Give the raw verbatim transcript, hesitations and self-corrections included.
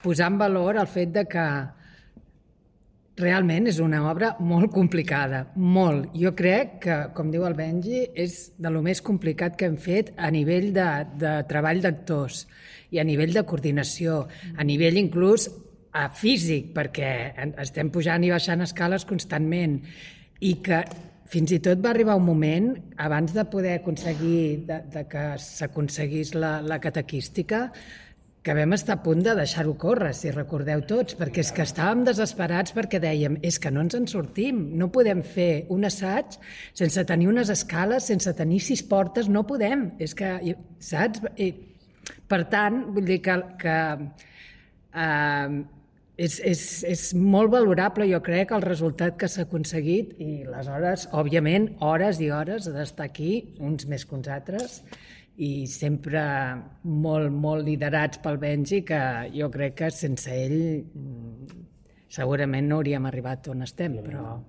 posar en valor el fet de que realment és una obra molt complicada, molt. Jo crec que, com diu el Benji, és de lo més complicat que hem fet a nivell de, de treball d'actors i a nivell de coordinació, a nivell inclús a físic, perquè estem pujant i baixant escales constantment i que fins i tot va arribar un moment, abans de poder aconseguir de, de que s'aconseguís la, la catequística, que vam estar a punt de deixar-ho córrer, si recordeu tots, perquè és que estàvem desesperats perquè dèiem, és que no ens en sortim, no podem fer un assaig sense tenir unes escales, sense tenir sis portes, no podem, és que, saps? I, per tant, vull dir que, que eh, és, és, és molt valorable, jo crec, el resultat que s'ha aconseguit i les hores, òbviament, hores i hores d'estar aquí, uns més que uns altres, i sempre molt, molt liderats pel Benji, que jo crec que sense ell segurament no hauríem arribat on estem, però...